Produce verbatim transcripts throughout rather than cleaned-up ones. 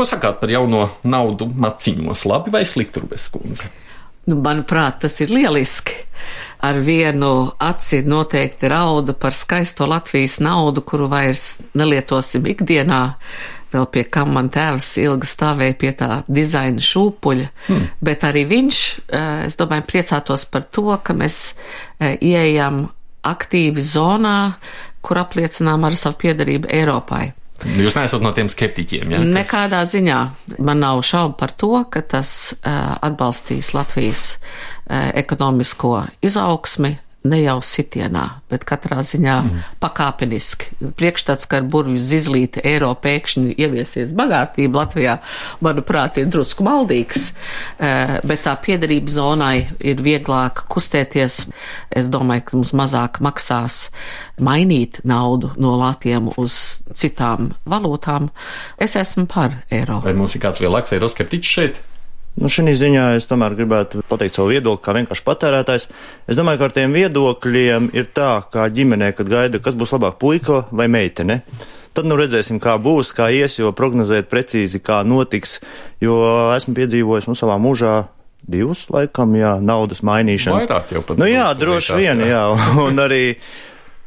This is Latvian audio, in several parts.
Ko sakāt par jauno naudu maciņos? Labi vai slikti, Rubes kundze? Nu, manuprāt, tas ir lieliski. Ar vienu aci noteikti rauda par skaisto Latvijas naudu, kuru vairs nelietosim ikdienā. Vēl pie kam man tēvs ilgi stāvēja pie tā dizaina šūpuļa, hmm. bet arī viņš, es domāju, priecātos par to, ka mēs ieejam aktīvi zonā, kur apliecinām ar savu piederību Eiropai. Jūs neesat no tiem skeptiķiem, jā? Ja? Nekādā ziņā. Man nav šaubu par to, ka tas uh, atbalstīs Latvijas uh, ekonomisko izaugsmi, ne jau sitienā, bet katrā ziņā mm. pakāpeniski. Priekšstats, ka ar burvju zizlīti eiro pēkšņi ieviesies bagātība Latvijā, manuprāt, ir drusku maldīgs, bet tā piederības zonai ir vieglāk kustēties. Es domāju, ka mums mazāk maksās mainīt naudu no latiem uz citām valūtām. Es esmu par eiro. Vai mums ir kāds lielāks eiroskeptiķis šeit? Nu, šī ziņā es tomēr gribētu pateikt savu viedokli kā vienkārši patērētājs. Es domāju, ka ar tiem viedokļiem ir tā, kā ģimenē, kad gaida, kas būs labāk, puika vai meitene. Tad nu redzēsim, kā būs, kā ies, jo prognozēt precīzi, kā notiks, jo esmu piedzīvojis nu savā mūžā divus laikam, jā, naudas mainīšanas. Vairāk jau pat. Nu jā, droši vien, jā, un arī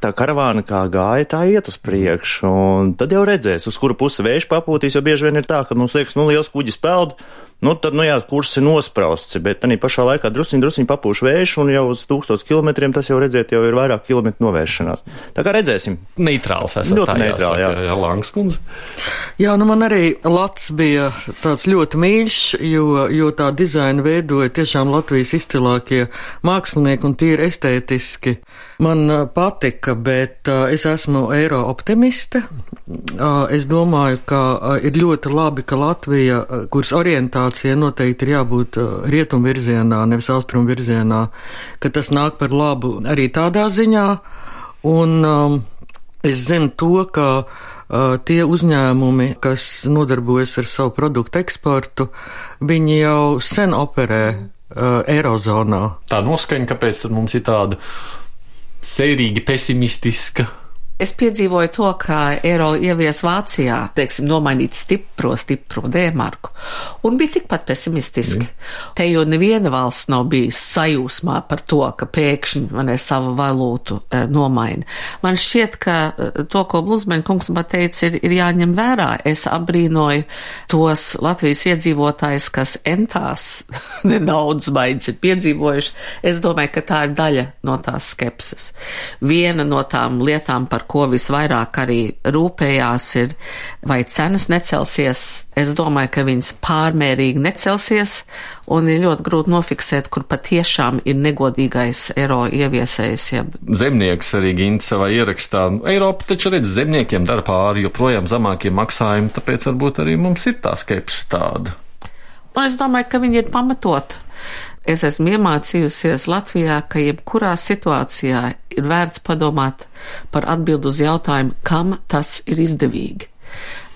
tā karavāna kā gāja, tā iet uz priekšu, un tad jau redzēs, uz kuru pusi vējš papūtīs, jo bieži vien ir tā, ka mums liekas, nu liels kuģis peld, nu tad, nu jā, kurs ir nosprausts, bet arī pašā laikā drusiņ, drusiņ papūš vējš, un jau uz tūkstotis kilometriem tas jau redzēt, jau ir vairāk kilometru novēršanās. Tā kā redzēsim. Neitrāls esat. Ļoti neitrāli, jā. jā. Langas kundze. Jā, nu man arī Lats bija tāds ļoti mīļš, jo, jo tā dizaina veidoja tiešām Latvijas izcilākie mākslinieki un tīri estētiski. Man patika, bet uh, es esmu eiro optimiste. Uh, es domāju, ka uh, ir ļoti labi, ka Latvija, uh, kuras orientācija noteikti ir jābūt uh, rietumu virzienā, nevis austrumu virzienā, ka tas nāk par labu arī tādā ziņā. Un um, es zinu to, ka uh, tie uzņēmumi, kas nodarbojas ar savu produktu eksportu, viņi jau sen operē uh, Eirozonā. Tā noskaņa, kāpēc tad mums ir tāda sērīgi pesimistiska? Es piedzīvoju to, ka eiro ievies Vācijā, teiksim, nomainīt stipro, stipro D-marku, un bija tikpat pesimistiski. Mm. Te jau neviena valsts nav bijis sajūsmā par to, ka pēkšņi man savu valūtu e, nomaina. Man šķiet, ka to, ko Bluzmeņa kungs man teica, ir, ir jāņem vērā. Es apbrīnoju tos Latvijas iedzīvotājus, kas entās nedaudz maiņas ir piedzīvojuši. Es domāju, ka tā ir daļa no tās skepses. Viena no tām lietām, par ko visvairāk arī rūpējās, ir, vai cenas necelsies. Es domāju, ka viņas pārmērīgi necelsies, un ir ļoti grūti nofiksēt, kur patiešām ir negodīgais eiro ieviesējs. Ja. Zemnieks arī Ginta savā ierakstā. Eiropa taču redz, zemniekiem dara pāri, joprojām zemākie maksājumi, tāpēc varbūt arī mums ir tā skepse tāda. Un es domāju, ka viņi ir pamatot. Es esmu iemācījusies Latvijā, ka jebkurā situācijā ir vērts padomāt par atbildu uz jautājumu, kam tas ir izdevīgi.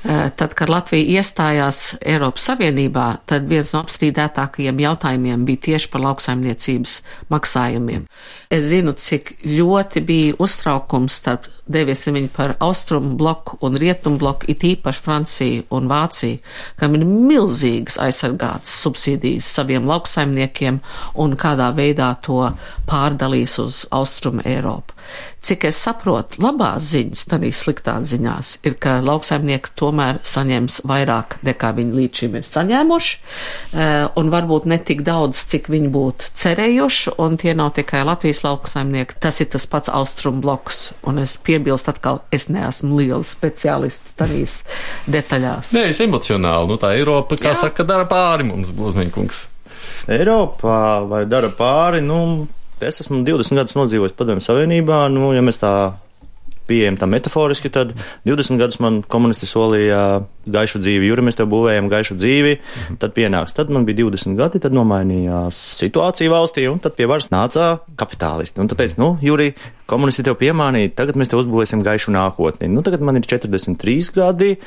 Tad, kad Latvija iestājās Eiropas Savienībā, tad viens no apstrīdētākajiem jautājumiem bija tieši par lauksaimniecības maksājumiem. Es zinu, cik ļoti bija uztraukums starp, deviesim viņu par austrumu bloku un rietumu bloku, it īpaši Franciju un Vāciju, kam ir milzīgas aizsargātas subsīdijas saviem lauksaimniekiem un kādā veidā to pārdalīs uz austrumu Eiropu. Cik es saprotu, labās ziņas, arī sliktās ziņās, ir, ka lauksaimnieki tomēr saņems vairāk, nekā viņi līdz šim ir saņēmuši, un varbūt ne tik daudz, cik viņi būtu cerējuši, un tie nav tikai Latvijas lauksaimnieki, tas ir tas pats austrumu bloks, un es piebilstu atkal, es neesmu liels speciālists tādīs detaļās. Nē, es emocionāli, nu tā Eiropa, kā Jā. Saka, dara pāri mums, Bluzmeņa kungs. Eiropā vai dara pāri, nu... Es esmu divdesmit gadus nodzīvojis Padomju Savienībā, nu, ja mēs tā pieejam tā metaforiski, tad divdesmit gadus man komunisti solīja gaišu dzīvi, Juri, mēs tev būvējam gaišu dzīvi, mhm. tad pienāks. Tad man bija divdesmit gadi, tad nomainījās situācija valstī, un tad pie varas nāca kapitālisti. Un tad teica, nu, Juri, komunisti tev piemānīja, tagad mēs tev uzbūvēsim gaišu nākotni. Nu, tagad man ir četrdesmit trīs gadi,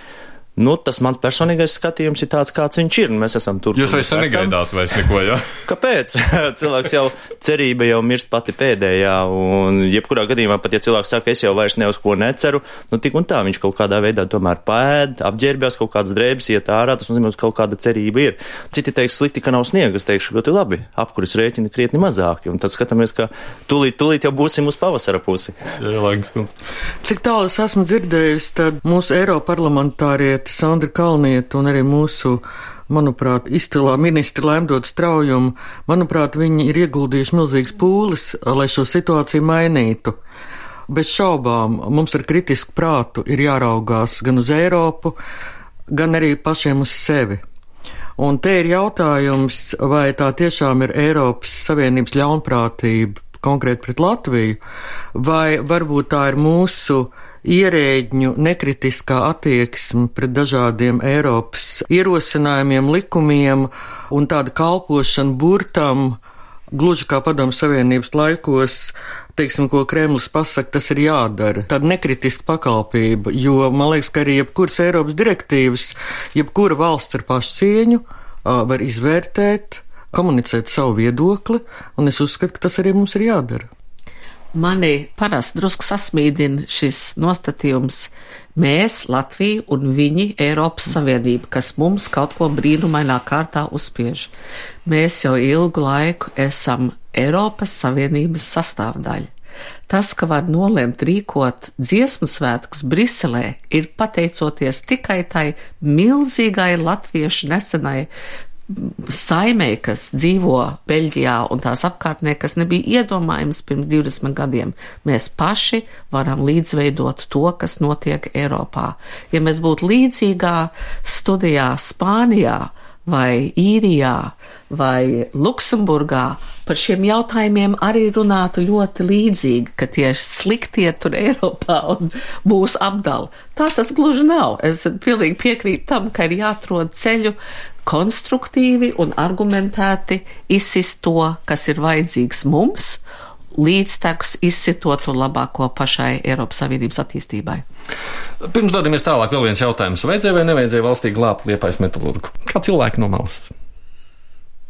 Nu, tas mans personīgais skatījums ir tāds, kāds viņš ir. Mēs esam tur. Jūs vairs negaidāt vairs neko, jā? Kāpēc? Cilvēks jau cerība jau mirst pati pēdējā, un jebkurā gadījumā, pat ja cilvēks saka, es jau vairs ne uz ko neceru, nu tik un tā viņš kaut kādā veidā tomēr pēd, apģērbjās, kaut kādas drēbes iet ārā, tas nozīmē, ka kaut kāda cerība ir. Citi teiks slikti, ka nav sniega, es teikšu ļoti labi, apkuras rēķini krietni mazāki, un tad skatāmies, ka tūlīt, tūlīt jau būsim uz pavasara pusi. Jā, cik tālu es esmu dzirdējusi, tad mūsu Eiroparlamentārietis Sandra Kalniete un arī mūsu, manuprāt, izcilā ministra Laimdota Straujuma, manuprāt, viņi ir ieguldījuši milzīgas pūles, lai šo situāciju mainītu. Bez šaubām mums ar kritisku prātu ir jāraugās gan uz Eiropu, gan arī pašiem uz sevi. Un te ir jautājums, vai tā tiešām ir Eiropas Savienības ļaunprātība konkrēti pret Latviju, vai varbūt tā ir mūsu ierēģņu nekritiskā attieksme pret dažādiem Eiropas ierosinājumiem, likumiem un tāda kalpošana burtam, gluži kā Padomju Savienības laikos, teiksim, ko Kremlis pasaka, tas ir jādara. Tāda nekritiska pakalpība, jo man liekas, ka arī jebkuras Eiropas direktīvas, jebkura valsts ar pašcieņu var izvērtēt, komunicēt savu viedokli, un es uzskatu, ka tas arī mums ir jādara. Mani parasti drusku sasmīdina šis nostatījums mēs, Latvija un viņi, Eiropas Savienība, kas mums kaut ko brīnumainā kārtā uzspiež. Mēs jau ilgu laiku esam Eiropas Savienības sastāvdaļa. Tas, ka var nolemt rīkot dziesmu svētkus Briselē, ir pateicoties tikai tai milzīgai latviešu nesenai saimē, kas dzīvo Beļģijā un tās apkārtnē, kas nebija iedomājams pirms divdesmit gadiem. Mēs paši varam līdzveidot to, kas notiek Eiropā. Ja mēs būtu līdzīgā studijā Spānijā vai Īrijā vai Luksemburgā, par šiem jautājumiem arī runātu ļoti līdzīgi, ka tie sliktie tur Eiropā un mūs apdala. Tā tas gluži nav. Es pilnīgi piekrītu tam, ka ir jāatrod ceļu konstruktīvi un argumentēti izsist to, kas ir vajadzīgs mums, līdztekus izsitot to labāko pašai Eiropas Savienības attīstībai. Pirms dodamies tālāk, vēl viens jautājums. Vajadzēja vai nevajadzēja valstī glābt Liepājas metalurgu? Kā cilvēki no malas?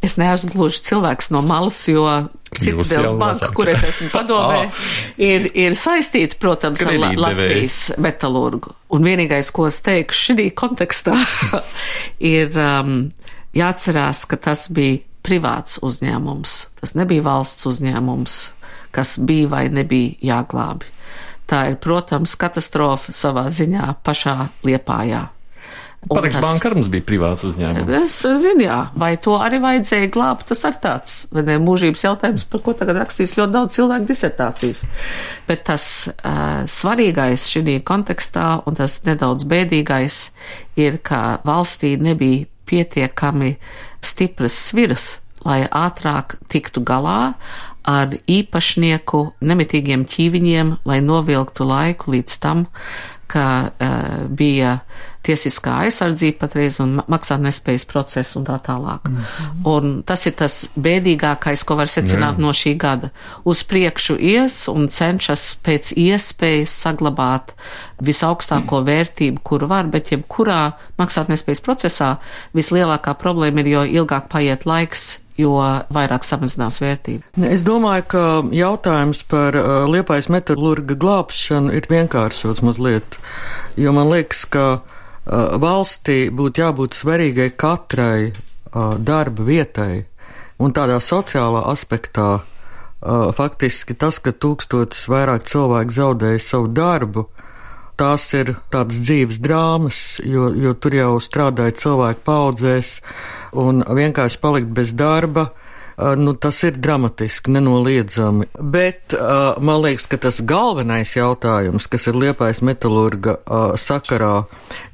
Es neesmu gluži cilvēks no malas, jo Citadels banka, kur es esmu padomē, ir, ir saistīta, protams, ar La- Latvijas metalurgu. Un vienīgais, ko es teikšu šī kontekstā, ir um, jāatcerās, ka tas bija privāts uzņēmums. Tas nebija valsts uzņēmums, kas bija vai nebija jāglābi. Tā ir, protams, katastrofa savā ziņā pašā Liepājā. Pareks banka mums bija privāts uzņēmums. Es zinu, jā, vai to arī vajadzēja glābt, tas ar tāds, vai ne, mūžības jautājums, par ko tagad rakstīs ļoti daudz cilvēku disertācijas. Bet tas uh, svarīgais šī kontekstā, un tas nedaudz bēdīgais, ir, ka valstī nebija pietiekami stipras sviras, lai ātrāk tiktu galā ar īpašnieku nemitīgiem ķīviņiem, lai novilktu laiku līdz tam, ka uh, bija tiesiskā aizsardzība patreiz un maksātnespējas process un tā tālāk. Mm-hmm. Un tas ir tas bēdīgākais, ko var secināt Jā. No šī gada. Uz priekšu ies un cenšas pēc iespējas saglabāt visaugstāko vērtību, kuru var, bet jebkurā maksātnespējas procesā vislielākā problēma ir, jo ilgāk paiet laiks, jo vairāk samazinās vērtība. Es domāju, ka jautājums par uh, Liepājas metalurga glābšanu ir vienkāršots mazliet, jo man liekas, ka uh, valstī būtu jābūt svarīgai katrai uh, darba vietai, un tādā sociālā aspektā uh, faktiski tas, ka tūkstotis vairāk cilvēku zaudēja savu darbu, tās ir tādas dzīves drāmas, jo, jo tur jau strādāja cilvēki paudzēs, un vienkārši palikt bez darba, nu, tas ir dramatiski, nenoliedzami. Bet man liekas, ka tas galvenais jautājums, kas ir Liepājas metalurga sakarā,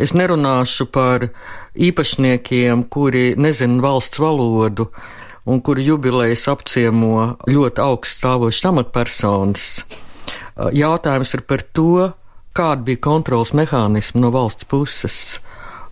es nerunāšu par īpašniekiem, kuri nezina valsts valodu, un kuri jubilejas apciemo ļoti augsts stāvošas amatpersonas. Jautājums ir par to, kāda bija kontrols mehānismi no valsts puses,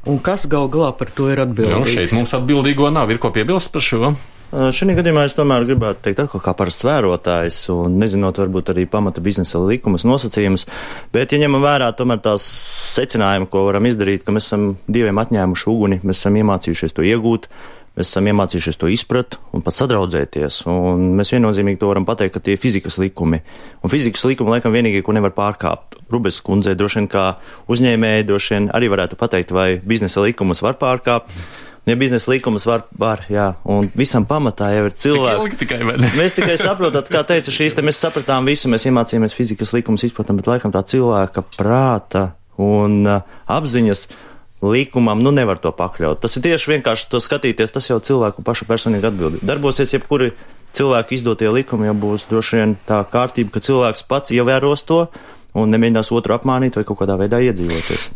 un kas gal galā par to ir atbildīgs. Jā, šeit mums atbildīgo nav, ir ko piebilst par šo? Šī gadījumā es tomēr gribētu teikt atkal kā parasts vērotājs un nezinot varbūt arī pamata biznesa likumus nosacījumus, bet ja ņemam vērā tomēr tās secinājumi, ko varam izdarīt, ka mēs esam Dieviem atņēmuši uguni, mēs esam iemācījušies to iegūt, mēs esam iemācījušies to izprat un pat sadraudzēties. Un mēs viennozīmīgi to varam pateikt, ka tie ir fizikas likumi. Un fizikas likumi laikam vienīgie, ko nevar pārkāpt. Rubes kundzei droši vien kā uzņēmēji droši vien arī varētu pateikt, vai biznesa likumus var pārkāpt. Ja biznesa likumus var, var, jā, un visam pamatā jau ir cilvēki. Tikai, vai ne? Mēs tikai saprotat, kā teicu, šīs te mēs sapratām visu, mēs iemācījāmies fizikas likumus, izpratam, bet laikam tā cilvēka prāta un uh, apziņas likumam, nu nevar to pakļaut. Tas ir tieši vienkārši to skatīties, tas jau cilvēku pašu personīgi atbildība. Darbosies jebkuri cilvēku izdotie likumi, jau būs droši vien tā kārtība, ka cilvēks pats ievēros to un nemēģinās otru apmānīt vai kaut kādā veidā iedzīvoties.